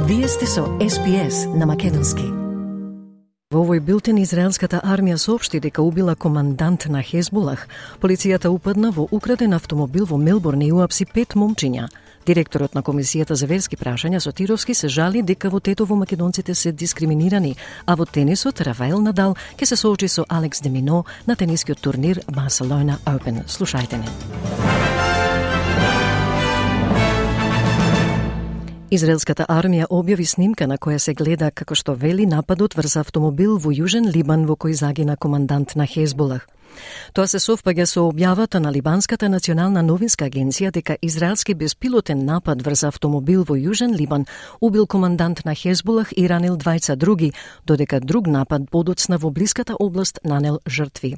Вие сте со SPS на македонски. Во овој билтен израелската армија соопшти дека убила командант на Хезболах. Полицијата упадна во украден автомобил во Мелбурн и уапси 5 момчиња. Директорот на Комисијата за верски прашања Сотировски се жали дека во Тетово македонците се дискриминирани, а во тенисот Рафаел Надал ќе се соочи со Алекс де Мино на тенискиот турнир Барселона Open. Слушајте не. Израелската армија објави снимка на која се гледа како што вели нападот врз автомобил во Јужен Либан во кој загина командант на Хезболах. Тоа се совпаѓа со објавата на Либанската национална новинска агенција дека израелски беспилотен напад врз автомобил во Јужен Либан убил командант на Хезболах и ранил двајца други, додека друг напад подоцна во блиската област нанел жртви.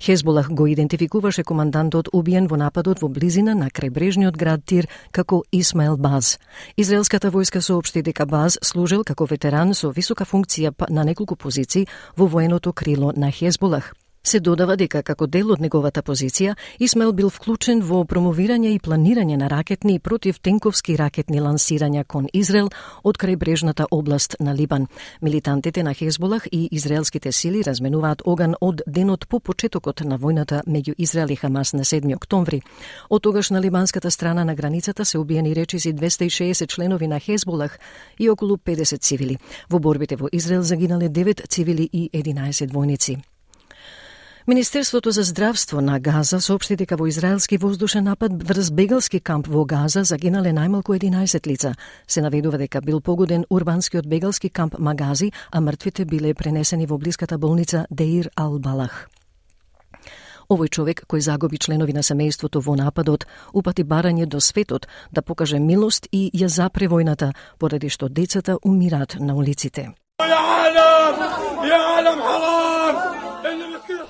Хезболах го идентификуваше командантот убиен во нападот во близина на крајбрежниот град Тир како Исмаел Баз. Израелската војска соопшти дека Баз служел како ветеран со висока функција на неколку позиции во военото крило на Хезболах. Се додава дека како дел од неговата позиција, Исмаел бил вклучен во промовирање и планирање на ракетни и противтенковски ракетни лансирања кон Израел од крајбрежната област на Либан. Милитантите на Хезболах и израелските сили разменуваат оган од денот по почетокот на војната меѓу Израел и Хамас на 7 октомври. Од тогаш на либанската страна на границата се убиени речиси 260 членови на Хезболах и околу 50 цивили. Во борбите во Израел загинале 9 цивили и 11 војници. Министерството за здравство на Газа соопшти дека во израелски воздушен напад врз бегалски камп во Газа загинале најмалку 11 лица. Се наведува дека бил погоден урбанскиот бегалски камп Магази, а мртвите биле пренесени во блиската болница Деир ал-Балах. Овој човек, кој загуби членови на семејството во нападот, упати барање до светот да покаже милост и ја запре војната, поради што децата умираат на улиците.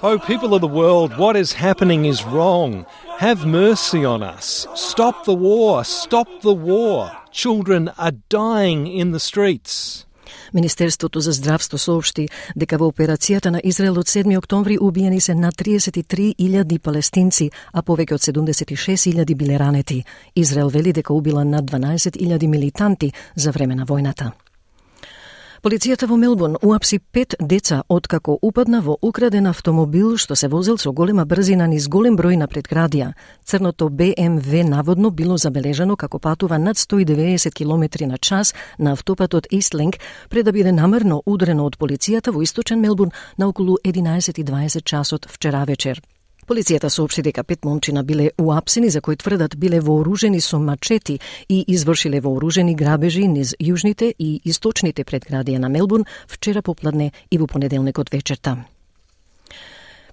Oh, people of the world, what is happening is wrong. Have mercy on us. Stop the war. Stop the war. Children are dying in the streets. Министерството за здравство соопшти дека во операцијата на Израел од 7 октомври убиени се над 33.000 палестинци, а повеќе од 76.000 биле ранети. Израел вели дека убила над 12.000 милитанти за време на војната. Полицијата во Мелбурн уапси 5 деца откако упадна во украден автомобил што се возел со голема брзина низ голем број на предградија. Црното БМВ наводно било забележано како патува над 190 км на час на автопатот Истлинг пред да биде намерно удрено од полицијата во источен Мелбурн на околу 11:20 часот вчера вечер. Полицијата соопшти дека 5 момчина биле уапсени за кои тврдат биле вооружени со мачети и извршиле вооружени грабежи низ јужните и источните предградија на Мелбурн вчера попладне и во понеделникот вечерта.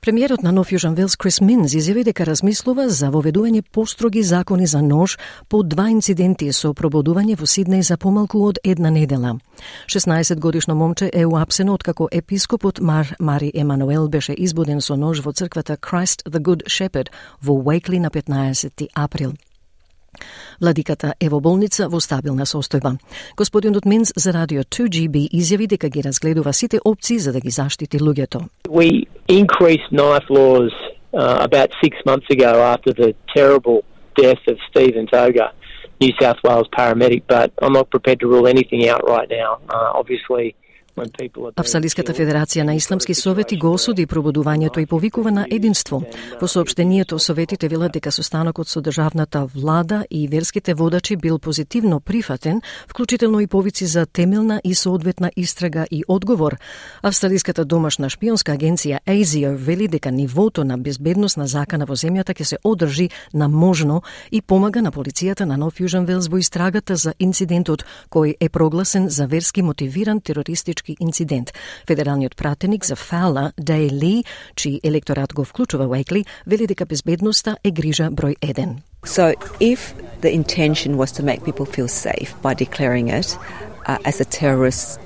Премиерот на Нов Јужен Велс Крис Минс изјави дека размислува за воведување построги закони за нож по 2 инциденти со пробудување во Сиднеј за помалку од една недела. 16-годишно момче е уапсено откако епископот Мари Емануел беше избуден со нож во црквата Christ the Good Shepherd во Уейкли на 15 април. Владиката е во болница во стабилна состојба. Господинот Минс за радио 2GB изјави дека ги разгледува сите опции за да ги заштити луѓето. We increased knife laws about 6 months ago after the terrible death of Stephen Toga, New South Wales paramedic, but I'm not prepared to rule anything out right now. Obviously, Австралиската федерација на исламски совети го осуди пробудувањето и повикува на единство. Во соопштението советите велат дека состанокот со државната влада и верските водачи бил позитивно прифатен, вклучително и повици за темелна и соодветна истрага и одговор. Австралиската домашна шпионска агенција ASIO вели дека нивото на безбедност на закана во земјата ќе се одржи на можно и помага на полицијата на Нов Јужен Велс во истрагата за инцидентот кој е прогласен за верски мотивиран терористички инцидент. Федералниот пратеник за Фаула, Дей Ли, чиј електорат го вклучува Уейкли, вели дека безбедноста е грижа број 1. So if the intention was to make people feel safe by declaring it as a terrorist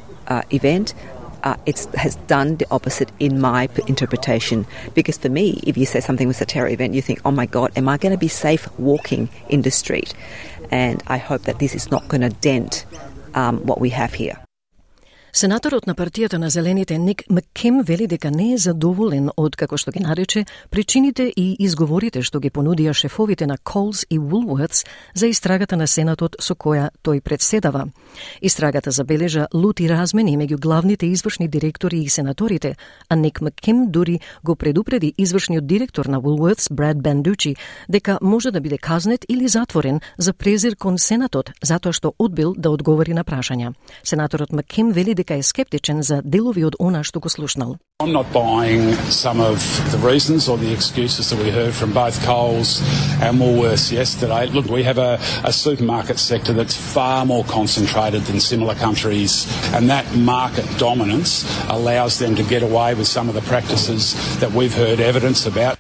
event, it has done the opposite in my interpretation. Because for me, if you say something was a terror event, you think, oh my God, am I going to be safe walking in the street? And I hope that this is not going to dent what we have here. Сенаторот на партијата на Зелените Ник Макким вели дека не е задоволен од, како што ги нарече, причините и изговорите што ги понудија шефовите на Coles и Woolworths за истрагата на Сенатот со која тој председава. Истрагата забележа лути размени меѓу главните извршни директори и сенаторите, а Ник Макким дури го предупреди извршниот директор на Woolworths, Brad Banducci, дека може да биде казнет или затворен за презир кон Сенатот, затоа што одбил да одговори на прашања. Сенаторот Макким вели дека е скептичен за делови од она што го слушнал. I'm not buying some of the reasons or the excuses that we heard from both Coles and Woolworths yesterday. Look, we have a supermarket sector that's far more concentrated than similar countries, and that market dominance allows them to get away with some of the practices that we've heard evidence about.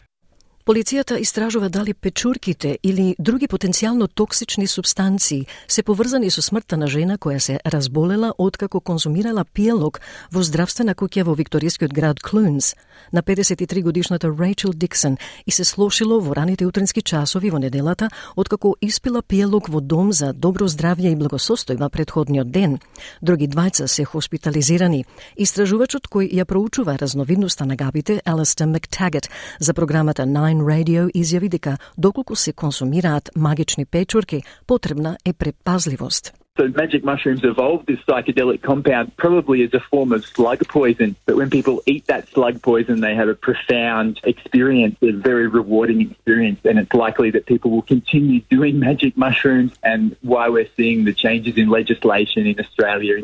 Полицијата истражува дали печурките или други потенцијално токсични супстанции се поврзани со смртта на жена која се разболела откако конзумирала пиелок во здравствена куќа во викторискиот град Клунс. На 53 годишната Рейчел Диксон и се слошило во раните утрински часови во неделата откако испила пиелок во дом за добро здравје и благосостојба претходниот ден. Други двајца се хоспитализирани. Истражувачот кој ја проучува разновидноста на габите, Алистер Мактагет, за програмата Nine Radio изјави дека доколку се консумираат магични печурки, потребна е предпазливост. So magic mushrooms evolved this psychedelic compound probably as a form of slug poison, but when people eat that slug poison they have a profound experience, a very rewarding experience, and it's likely that people will continue doing magic mushrooms, and why we're seeing the changes in legislation in Australia.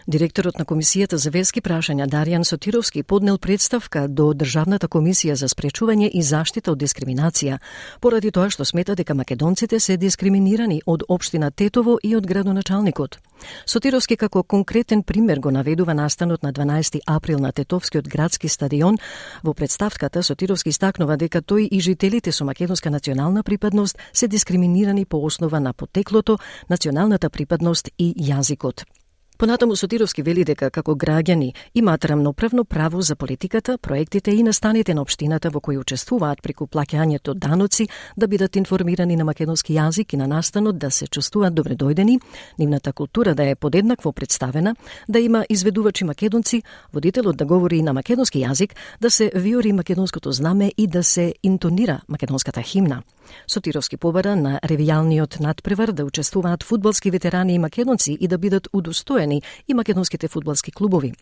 Директорот на Комисијата за верски прашања Даријан Сотировски поднел представка до Државната комисија за спречување и заштита од дискриминација, поради тоа што смета дека македонците се дискриминирани од општина Тетово и од градоначалникот. Сотировски како конкретен пример го наведува настанот на 12 април на Тетовскиот градски стадион. Во представката Сотировски истакнува дека тој и жителите со македонска национална припадност се дискриминирани по основа на потеклото, националната припадност и јазикот. Понатаму Сотировски вели дека како граѓани имаат рамноправно право за политиката, проектите и настаните на општината во кои учествуваат преку плаќањето даноци да бидат информирани на македонски јазик и на настанот да се чувствуваат добредојдени, нивната култура да е подеднакво представена, да има изведувачи македонци, водителот да говори на македонски јазик, да се виори македонското знаме и да се интонира македонската химна. Сотировски побара на ревијалниот надпревар да учествуваат фудбалски ветерани и македонци и да бидат удостоени и македонските фудбалски клубови.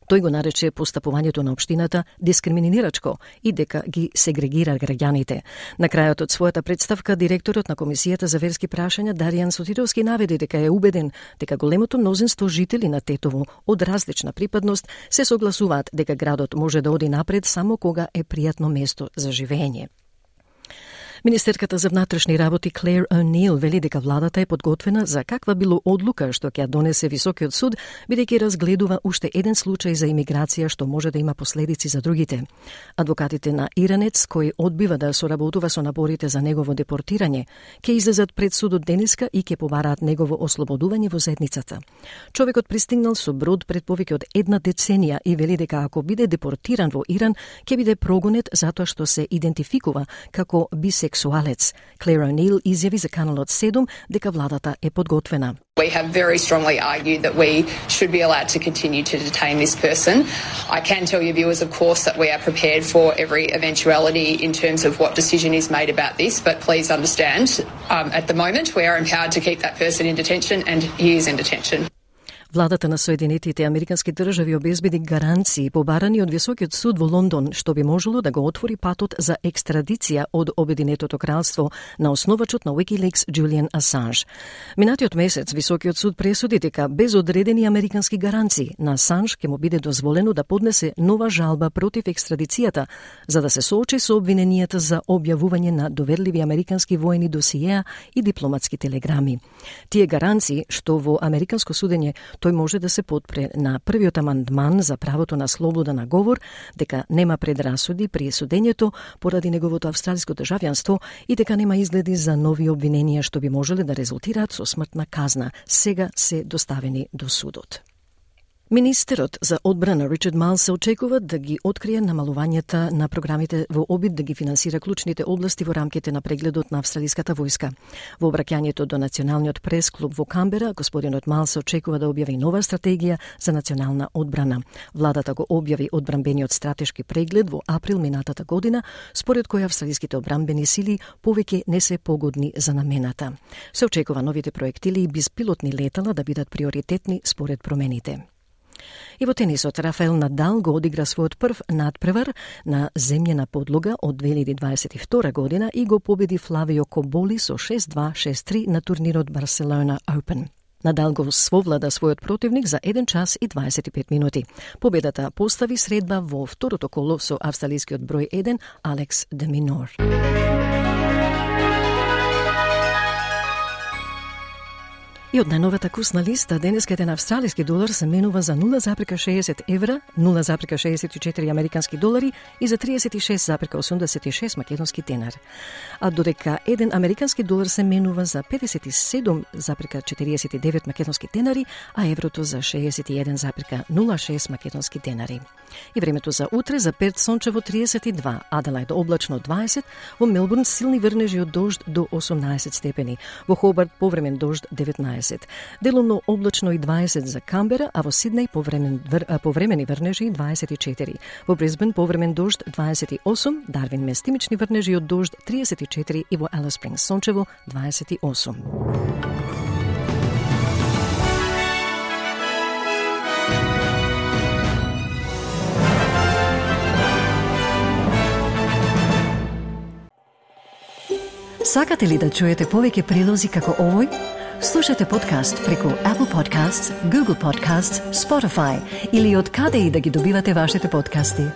Тој го нарече постапувањето на општината дискриминирачко и дека ги сегрегира граѓаните. На крајот од својата представка, директорот на Комисијата за верски прашања Даријан Сотировски наведе дека е убеден дека големото мнозинство жители на Тетово од различна припадност се согласуваат дека градот може да оди напред само кога е пријатно место за живење. Министерката за внатрешни работи Клер О'Нил вели дека владата е подготвена за каква било одлука што ќе ја донесе Високиот суд, бидејќи разгледува уште еден случај за имиграција што може да има последици за другите. Адвокатите на Иранец, кој одбива да соработува со напорите за негово депортирање, ќе излезат пред судот денеска и ќе побараат негово ослободување во седницата. Човекот пристигнал со брод пред повеќе од една деценија и вели дека ако биде депортиран во Иран, ќе биде прогонет затоа што се идентификува како бисексуалец. Claire O'Neill изјави за Каналот 7 дека владата е подготвена. We have very strongly argued that we should be allowed to continue to detain this person. I can tell your viewers, of course, that we are prepared for every eventuality in terms of what decision is made about this, but please understand, at the moment we are empowered to keep that person in detention and he is in detention. Владата на Соединетите Американски држави обезбеди гаранции побарани од Високиот суд во Лондон, што би можело да го отвори патот за екстрадиција од Обединетото кралство на основачот на Wikileaks Julian Assange. Минатиот месец Високиот суд пресуди дека без одредени американски гаранции на Асанж ќе му биде дозволено да поднесе нова жалба против екстрадицијата, за да се соочи со обвиненијата за објавување на доверливи американски воени досиеа и дипломатски телеграми. Тие гаранции, што во американско судење тој може да се потпре на првиот амандман за правото на слобода на говор, дека нема предрасуди при судењето поради неговото австралиско државјанство и дека нема изгледи за нови обвиненија што би можеле да резултираат со смртна казна, сега се доставени до судот. Министерот за одбрана Ричард Майлс се очекува да ги открие намалувањата на програмите во обид да ги финансира клучните области во рамките на прегледот на австралиската војска. Во обраќањето до Националниот прес-клуб во Камбера, господинот Майлс се очекува да објави нова стратегија за национална одбрана. Владата го објави одбранбениот стратешки преглед во април минатата година, според кој австралиските одбранбени сили повеќе не се погодни за намената. Се очекува новите проектили и безпилотни летала да бидат приоритетни според промените. И во тенисот, Рафаел Надал го одигра својот прв надпревар на земјена подлога од 2022 година и го победи Флавио Коболи со 6-2, 6-3 на турнирот Барселона Open. Надал го свовлада својот противник за 1 час и 25 минути. Победата постави средба во второто коло со австралискиот број 1 Алекс де Минор. И од најновата курсна листа, денеска еден австралиски долар се менува за 0,60 евра, 0,64 американски долари и за 36,86 македонски денар. А додека еден американски долар се менува за 57,49 македонски денари, а еврото за 61,06 македонски денари. И времето за утре за Перт сончево 32, Аделајд облачно 20, во Мелбурн силни врнежи од дожд до 18 степени, во Хобарт повремен дожд 19. Делумно облачно и 20 за Камбера, а во Сиднеј повремени врнежи 24. Во Брисбен повремен дожд 28, Дарвин местимични врнежи од дожд 34 и во Алис Спрингс сончево 28. Сакате ли да чуете повеќе прилози како овој? Слушате подкаст преку Apple Podcasts, Google Podcasts, Spotify или од каде и да ги добивате вашите подкасти.